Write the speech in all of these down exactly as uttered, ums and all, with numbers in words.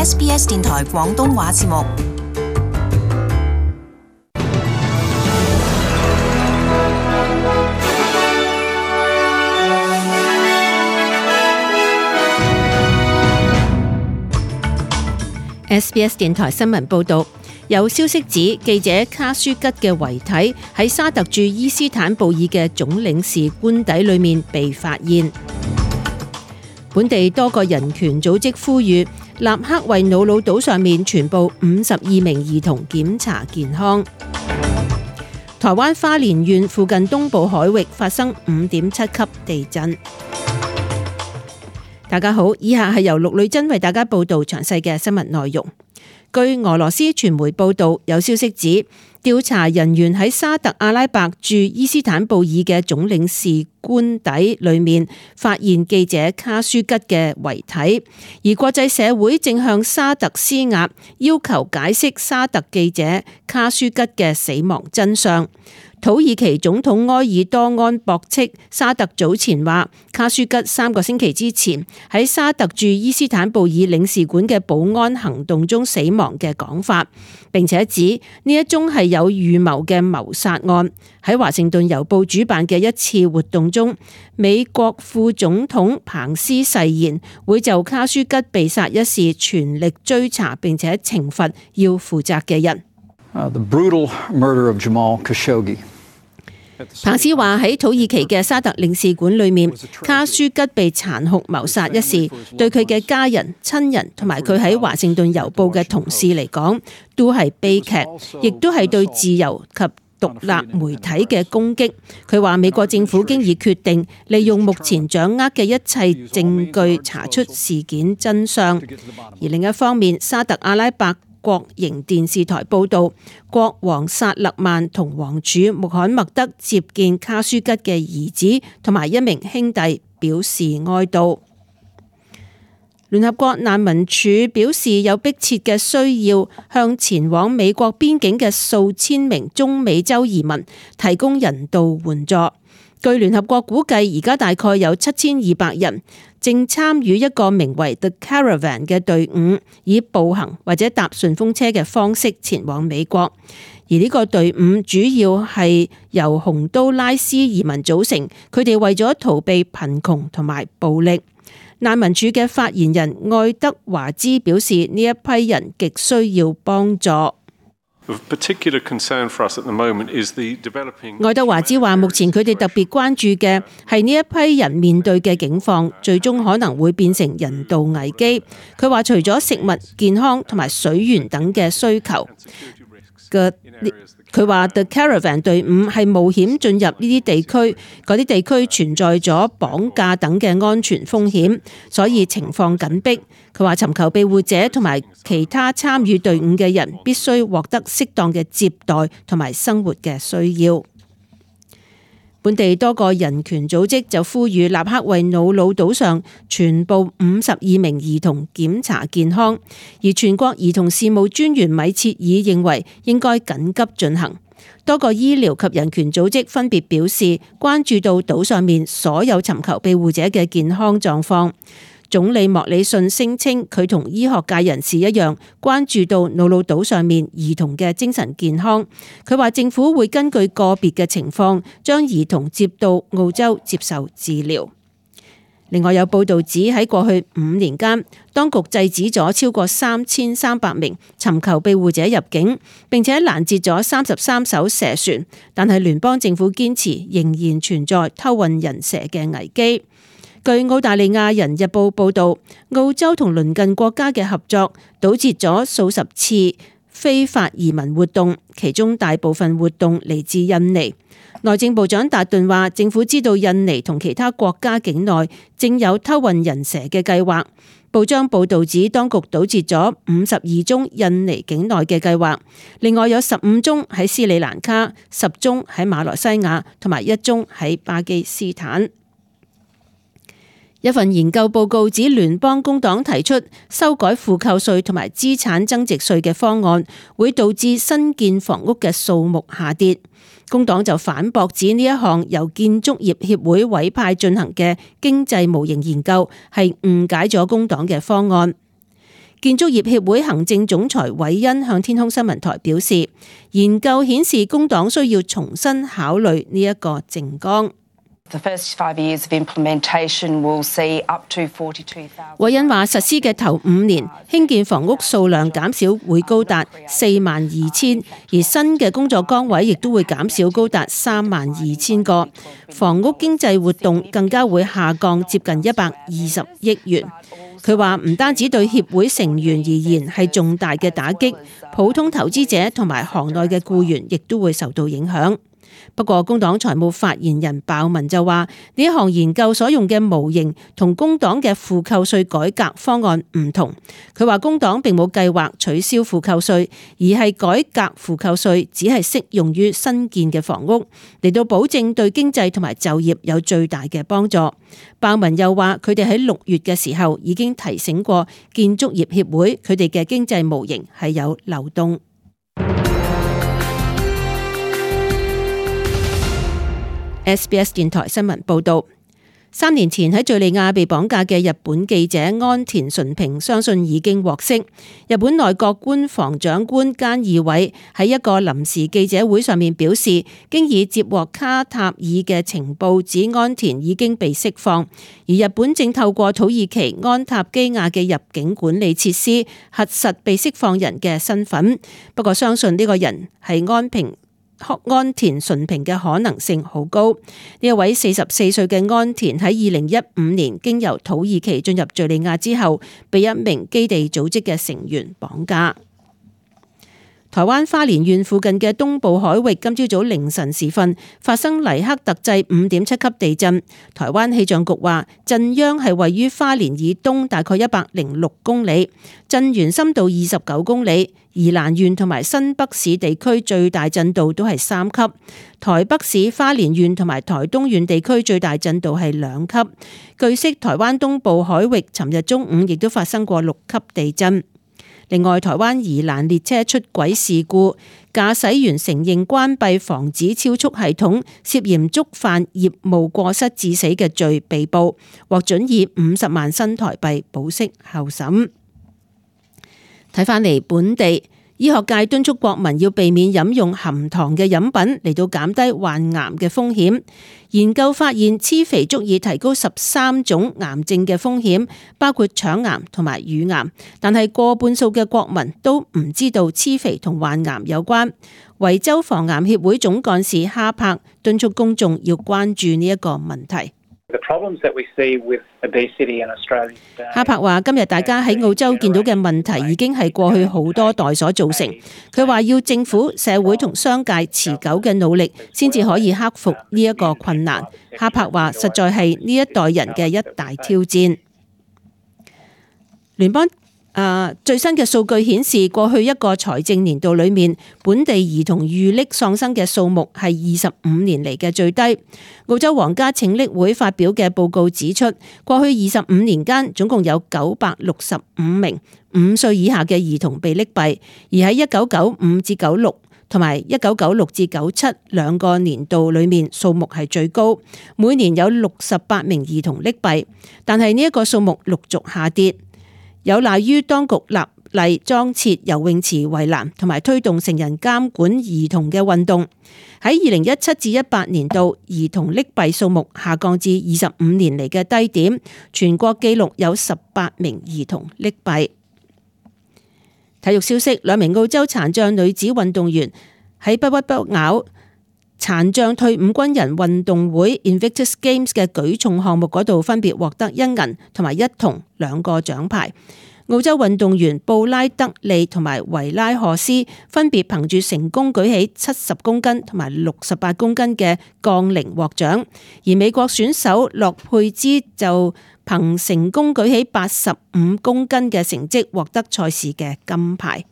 S B S 電台廣東話節目。S B S 電台新聞報導，有消息指記者卡舒吉嘅遺體喺沙特駐伊斯坦布爾嘅總領事官邸裏面被發現。本地多個人權組織呼籲立刻為瑙魯島上面全部五十二名兒童檢查健康。台灣花蓮縣附近東部海域發生五點七級地震。大家好，以下係由陸女真為大家報道詳細嘅新聞內容。據俄羅斯傳媒報道，有消息指調查人員喺沙特阿拉伯駐伊斯坦布爾嘅總領事官邸裏面發現記者卡舒吉嘅遺體，而國際社會正向沙特施壓，要求解釋沙特記者卡舒吉嘅死亡真相。土耳其總統埃爾多安駁斥沙特早前話卡舒吉三個星期之前喺沙特駐伊斯坦布爾領事館嘅保安行動中死亡嘅講法，並且指呢一宗係有預謀嘅謀殺案。喺華盛頓郵報主辦嘅一次活動中，美國副總統彭斯誓言會就卡舒吉被殺一事全力追查並且懲罰要負責嘅人。Uh, the brutal murder of Jamal Khashoggi。彭斯話喺土耳其嘅沙特領事館裏面，卡舒吉被殘酷謀殺一事，對佢嘅家人、親人同埋佢喺華盛頓郵報嘅同事嚟講，都係悲劇，亦都係對自由及獨立媒體嘅攻擊。佢話美國政府經已決定利用目前掌握嘅一切證據查出事件真相。而另一方面，沙特阿拉伯國營電視台報道，國王薩勒曼同王儲穆罕默德接見卡舒吉嘅兒子同埋一名兄弟，表示哀悼。聯合國難民署表示有迫切嘅需要向前往美國邊境嘅數千名中美洲移民提供人道援助。據聯合國估計，而家大概有七千二百人正參與一個名為 The Caravan 嘅隊伍，以步行或者搭順風車嘅方式前往美國。而呢個隊伍主要係由洪都拉斯移民組成，佢哋為咗逃避貧窮同埋暴力。難民署嘅發言人愛德華茲表示，呢一批人極需要幫助。愛德華茲話，目前佢哋特別關注嘅係呢一批人面對嘅境況，最終可能會變成人道危機。佢話除咗食物、健康同埋水源等嘅需求嘅，佢話 The Caravan 隊伍係冒險進入呢啲地區，嗰啲地區存在咗綁架等嘅安全風險，所以情況緊迫。佢話尋求庇護者同埋其他參與隊伍嘅人必須獲得適當嘅接待同埋生活嘅需要。本地多個人權組織就呼籲立刻為瑙魯島上全部五十二名兒童檢查健康，而全國兒童事務專員米切爾認為應該緊急進行。多個醫療及人權組織分別表示關注到島上面所有尋求庇護者嘅健康狀況。總理莫里遜聲稱佢同醫學界人士一樣關注到瑙魯島上面兒童嘅精神健康。佢話政府會根據個別嘅情況將兒童接到澳洲接受治療。另外有報道指喺過去五年間，當局制止咗超過三千三百名尋求庇護者入境，並且攔截咗三十三艘蛇船，但係聯邦政府堅持仍然存在偷運人蛇嘅危機。據澳大利亞人日報報道，澳洲同鄰近國家嘅合作堵截咗數十次非法移民活動，其中大部分活動嚟自印尼。內政部長達頓話，政府知道印尼同其他國家境內正有偷運人蛇嘅計劃。報章報導指，當局堵截咗五十二宗印尼境內嘅計劃，另外有十五宗喺斯里蘭卡、十宗喺馬來西亞同埋一宗喺巴基斯坦。一份研究報告指，聯邦工黨提出修改負扣稅同埋資產增值稅嘅方案，會導致新建房屋嘅數目下跌。工黨就反駁指呢一項由建築業協會委派進行嘅經濟模型研究係誤解咗工黨嘅方案。建築業協會行政總裁韋恩向天空新聞台表示，研究顯示工黨需要重新考慮呢一個政綱。韋恩話：實施嘅頭五年興建房屋數量減少會高達四萬二千，而新嘅工作崗位亦都會減少高達三萬二千個，房屋經濟活動更加會下降接近一百二十億元。佢話唔單止對協會成員而言係重大嘅打擊，普通投資者同埋行內嘅僱員亦都會受到影響。不過工黨財務發言人鮑文就話，呢一項研究所用嘅模型同工黨嘅負扣稅改革方案唔同。佢話工黨並冇計劃取消負扣稅，而係改革負扣稅只係適用於新建嘅房屋，嚟到保證對經濟同埋就業有最大嘅幫助。鮑文又話，佢哋喺六月嘅時候已經提醒過建築業協會，佢哋嘅經濟模型係有漏洞。S B S 電台新聞報道，三年前喺敘利亞被綁架嘅日本記者安田純平相信已經獲釋。日本內閣官房長官菅義偉喺一個臨時記者會上面表示，經已接獲卡塔爾嘅情報，指安田已經被釋放，而日本正透過土耳其安塔基亞嘅入境管理設施核實被釋放人嘅身份。不過相信呢個人係安平。安田純平嘅可能性好高。呢一位四十四歲嘅安田喺二零一五年經由土耳其進入敘利亞之後，被一名基地組織嘅成員綁架。台灣花蓮縣附近嘅東部海域今朝早凌晨時分發生黎克特制五點七級地震。台灣氣象局話，震央係位於花蓮以東大概一百零六公里，震源深度二十九公里。宜蘭縣同埋新北市地區最大震度都係三級，台北市、花蓮縣同埋台東縣地區最大震度係兩級。據悉，台灣東部海域尋日中午亦都發生過六級地震。另外，台灣宜蘭列車出軌事故，駕駛員承認關閉防止超速系統，涉嫌觸犯業務過失致死嘅罪被捕，獲准以五十萬新台幣保釋候審。睇返嚟本地，醫學界敦促國民要避免飲用含糖嘅飲品，嚟到減低患癌嘅風險。研究發現，黐肥足以提高十三種癌症嘅風險，包括腸癌同埋乳癌。但係過半數嘅國民都唔知道黐肥同患癌有關。維州防癌協會總幹事哈柏敦促公眾要關注呢一個問題。哈柏話：今日大家喺澳洲見到嘅問題已經係過去好多代所造成。佢話要政府、社會同商界持久嘅努力，先至可以克服呢一個困難。哈柏話：實在係呢一代人嘅一大挑戰。聯邦Uh, 最新嘅數據顯示，過去一個財政年度裏面，本地兒童遇溺喪生嘅數目係二十五年嚟嘅最低。澳洲皇家拯溺會發表嘅報告指出，過去二十五年間，總共有九百六十五名五歲以下嘅兒童被溺斃，而喺一九九五至九六同埋一九九六至九七兩個年度裏面，數目係最高，每年有六十八名兒童溺斃，但係呢一個數目陸續下跌。有賴於當局立例裝設游泳池圍欄，同埋推動成人監管兒童嘅運動。喺二零一七至一八年度，兒童溺斃數目下降至二十五年嚟嘅低點，全國紀錄有十八名兒童溺斃。體育消息，兩名澳洲殘障女子運動員喺不屈不撓殘障退伍軍人運動會 Invictus Games 嘅舉重項目嗰度，分別獲得一銀同埋一銅兩個獎牌。澳洲運動員布拉德利同埋維拉荷斯分別憑住成功舉起七十公斤同埋六十八公斤嘅槓鈴獲獎，而美國選手洛佩茲就憑成功舉起八十五公斤嘅成績獲得賽事嘅金牌。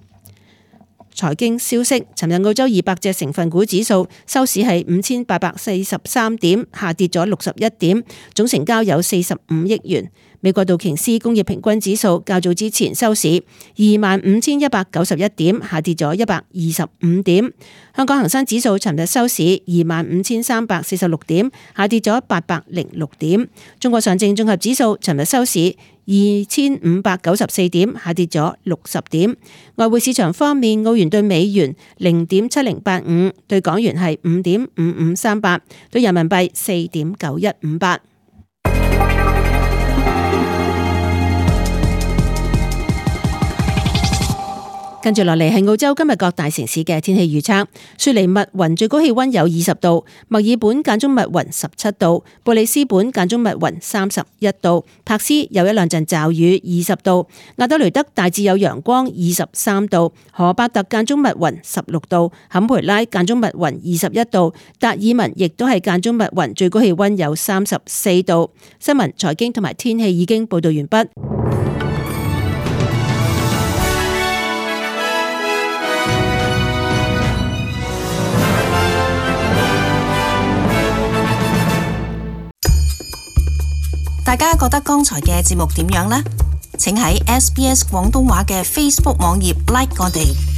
財經消息，尋日澳洲二百隻成分股指數收市係五千八百四十三點，下跌咗六十一點，總成交有四十五億元。美國道瓊斯工業平均指數較早之前收市二萬五千一百九十一點，下跌咗一百二十五點。香港恒生指數尋日收市二萬五千三百四十六點，下跌咗八百零六點。中國上證綜合指數尋日收市二千五百九十四點，下跌咗六十點。外匯市場方面，澳元對美元零點七零八五，對港元係五點五五三八，對人民幣四點九一五八。跟住落嚟係澳洲今日各大城市嘅天氣預測。雪梨密雲最高氣溫有二十度，墨爾本間中密雲十七度，布里斯本間中密雲三十一度，柏斯有一兩陣驟雨二十度，亞德雷德大致有陽光二十三度，荷伯特間中密雲十六度，坎培拉間中密雲二十一度，達爾文亦都係間中密雲最高氣溫有三十四度。新聞、財經同埋天氣已經報道完畢。大家覺得剛才嘅節目點樣呢？請喺 S B S 廣東話嘅 Facebook 網頁 like 我哋。